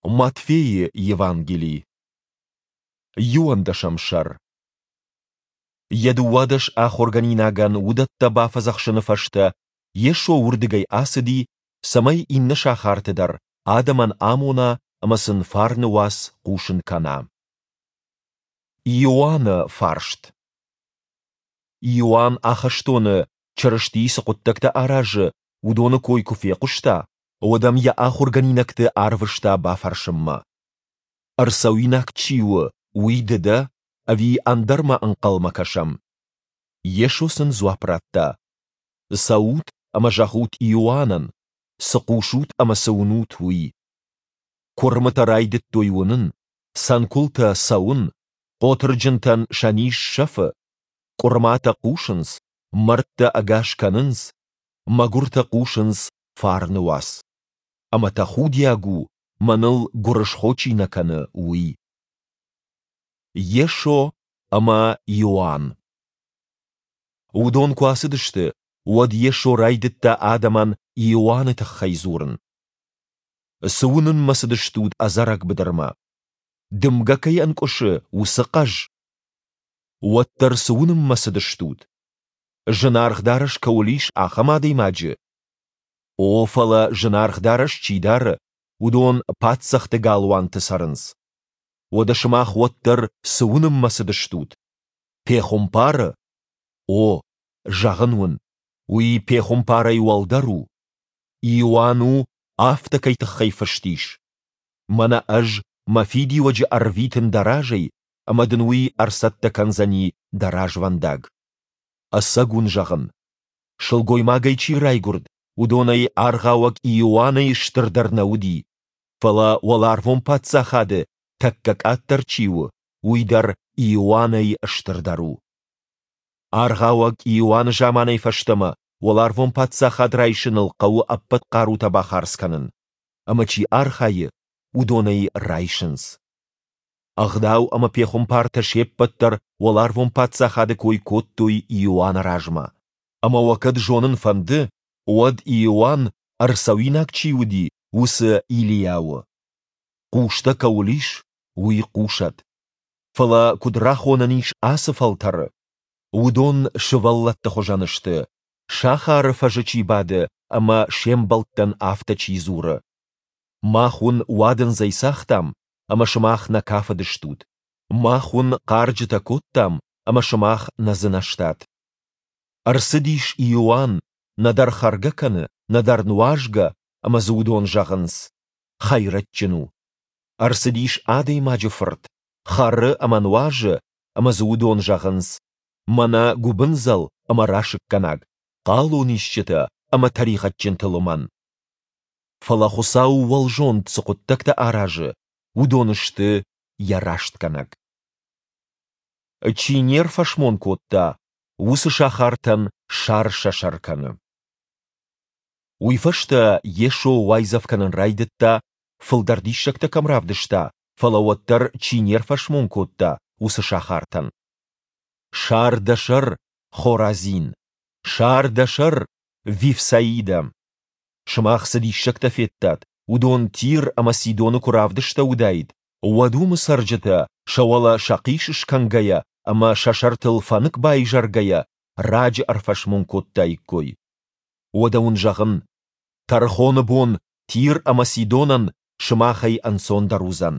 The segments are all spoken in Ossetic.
Матфейы Евангели, иуӕндӕсӕм сӕр. Йӕ 12 ахуыргӕнинагӕн уыдӕттӕ бафӕдзӕхсыны фӕстӕ Йесо уырдыгӕй ацыди, цӕмӕй иннӕ сахарты дӕр адӕмӕн амона ӕмӕ сын фарны уац хъусын кӕна. Иоанны фарст. Иоанн ахӕстоны Чырысти цы хъуыддӕгтӕ аразы, уыдоны кой куы фехъуыста, уӕд ӕм йӕ ахуыргӕнинӕгты арвыста бафӕрсынмӕ: Ӕрцӕуинаг чи у, уый ды дӕ, ӕви ӕндӕрмӕ ӕнхъӕлмӕ кӕсӕм? Йесо сын дзуапп радта: Цӕут ӕмӕ зӕгъут Иоаннӕн, цы хъусут ӕмӕ цы уынут, уый. Куырмытӕ райдыдтой уынын, цӕнкуылтӕ цӕуын, хъотырджынтӕн сӕ низ сӕфы, къуырматӕ хъусынц, мӕрдтӕ ӕгас кӕнынц, мӕгуыртӕ хъусынц фарны уац. Ӕмӕ тӕхудиаг у, мӕныл гуырысхо чи нӕ кӕны, уый. Йесо ӕмӕ Иоанн. Уыдон куы ацыдысты, уӕд Йесо райдыдта адӕмӕн Иоанны тыххӕй дзурын. Цы уынынмӕ цыдыстут ӕдзӕрӕг быдырмӕ? Дымгӕ кӕй ӕнкъуысы, уыцы хъӕз? Уӕддӕр цы уынынмӕ цыдыстут? Зынаргъ дарӕс кӕуыл ис, ахӕм адӕймаджы? О, фӕлӕ зынаргъ дарӕс чи дары, уыдон паддзӕхты галуанты цӕрынц. Уӕдӕ сымах уӕддӕр цы уынынмӕ цыдыстут? Пехуымпары? О, зӕгъын уын, уый пехуымпарӕй уӕлдӕр у. Иоанн у, афтӕ кӕй тыххӕй фыст ис. Мӕнӕ ӕз мӕ фидиуӕджы ӕрвитын дӕ разӕй, ӕмӕ дын уый ӕрцӕттӕ кӕндзӕни дӕ развӕндаг. Ӕцӕг уын зӕгъын, сылгоймагӕй чи райгуырд, уыдонӕй Аргъауӕг Иоаннӕй стырдӕр нӕ уыди, фӕлӕ уӕларвон паддзахады тӕккӕ къаддӕр чи у, уый дӕр Иоаннӕй стырдӕр у. Аргъауӕг Иоанны заманӕй фӕстӕмӕ уӕларвон паддзахад райсыныл хъӕуы ӕппӕт хъарутӕ бахардз кӕнын, ӕмӕ чи архайы, уыдон ӕй райсынц. Ӕгъдау ӕмӕ пехуымпартӕ се ппӕт дӕр уӕларвон паддзахады кой кодтой Иоанны размӕ. Ӕмӕ уӕ кӕд зонын фӕнды, уӕд Иоанн, ӕрцӕуинаг чи уыди, уыцы Илийа у. Хъустӕ кӕуыл ис, уый хъусӕд. Фӕлӕ куыд рахонӕн ис ацы фӕлтӕры? Уыдон сывӕллӕтты хуызӕн сты, сахары фӕзы чи бады ӕмӕ се мбӕлттӕн афтӕ чи дзуры: Мах уын уадындзӕй цагътам, ӕмӕ сымах нӕ кафыдыстут. Мах уын хъарджытӕ кодтам, ӕмӕ сымах нӕ дзынӕзтат. Ӕрцыдис Иоанн, нӕдӕр хӕргӕ кӕны, нӕдӕр нуазгӕ, ӕмӕ дзы уыдон зӕгъынц: Хӕйрӕджджын у. Ӕрцыдис Адӕймаджы Фырт, хӕры ӕмӕ нуазы, ӕмӕ дзы уыдон зӕгъынц: Мӕнӕ гуыбындзӕл ӕмӕ расыггӕнаг, хъалонисджытӕ ӕмӕ тӕригъӕдджынты лымӕн. Фӕлӕ Хуыцау уӕлзонд цы хъуыддӕгтӕ аразы, уыдон сты йӕ рӕстгӕнӕг. Чи не рфӕсмон кодта, уыцы сахартӕн сар сӕ сӕр кӕны. Уый фӕстӕ Йесо уайдзӕф кӕнын райдыдта, фылдӕр диссӕгтӕ кӕм равдыста, фӕлӕ уӕддӕр чи не рфӕсмон кодта, уыцы сахартӕн. Сар дӕ сӕр, Хоразин! Сар дӕ сӕр, Вифсаидӕ! Сымах цы диссӕгтӕ федтат, уыдон Тир ӕмӕ Сидоны куы равдыстӕуыдаид, уӕд уымы цӕрджытӕ, сӕ уӕлӕ сӕхъис скӕнгӕйӕ ӕмӕ сӕ сӕртыл фӕнык байзӕргӕйӕ, раджы ӕрфӕсмон кодтаиккой. Уӕдӕ уын зӕгъын, тӕрхоны бон Тир ӕмӕ Сидонӕн сымахӕй ӕнцондӕр уыдзӕн.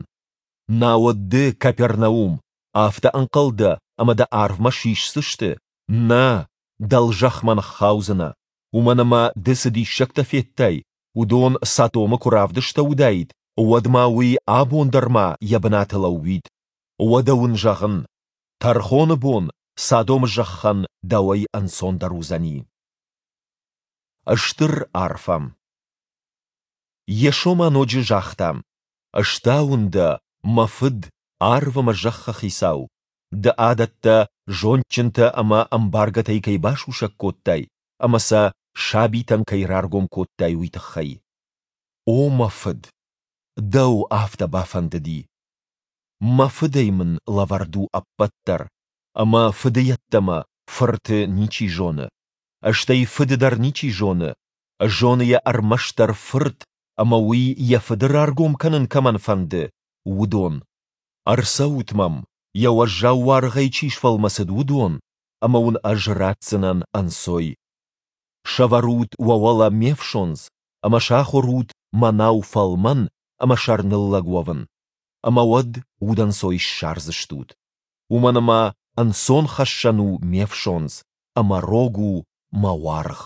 Науӕд ды, Капернаум, афтӕ ӕнхъӕл дӕ, ӕмӕ дӕ арвмӕ сисдзысты? Нӕ, дӕлзӕхмӕ ныххаудзынӕ, уымӕн ӕмӕ ды цы диссӕгтӕ федтай, уыдон Содомы куы равдыстӕуыдаид, уӕд ма уый абон дӕр ма йӕ бынаты лӕууид. Уӕдӕ уын зӕгъын, тӕрхоны бон Содомы зӕххӕн дӕуӕй ӕнцондӕр уыдзӕни. Стыр арфӕ. Йесо ма ноджы загъта: Стауын дӕ, мӕ Фыд, арв ӕмӕ зӕххы Хицау, ды адӕттӕ зондджынтӕ ӕмӕ ӕмбаргӕтӕй кӕй басусӕг кодтай ӕмӕ сӕ сабитӕн кӕй раргом кодтай, уый тыххӕй. О мӕ Фыд, дӕу афтӕ бафӕндыди. Мӕ Фыдӕй мын лӕвӕрд у ӕппӕт дӕр, ӕмӕ Фыды йеддӕмӕ Фырты ничи зоны, стӕй Фыды дӕр ничи зоны, зоны йӕ ӕрмӕстдӕр Фырт. ӕмӕ уый йӕ Фыды раргом кӕнын кӕмӕн фӕнды, уыдон. Ӕрцӕут мӕм, йӕ уӕззау уаргъӕй чи сфӕлмӕцыд, уыдон, ӕмӕ уын ӕз ратдзынӕн ӕнцой. Сӕвӕрут уӕ уӕлӕ ме фсондз ӕмӕ сахуыр ут мӕнау фӕлмӕн ӕмӕ сӕрныллӕг уӕвын, ӕмӕ уӕд удӕнцой ссардзыстут. Уымӕн ӕмӕ ӕнцон хӕссӕн у ме фсондз, ӕмӕ рог у мӕ уаргъ.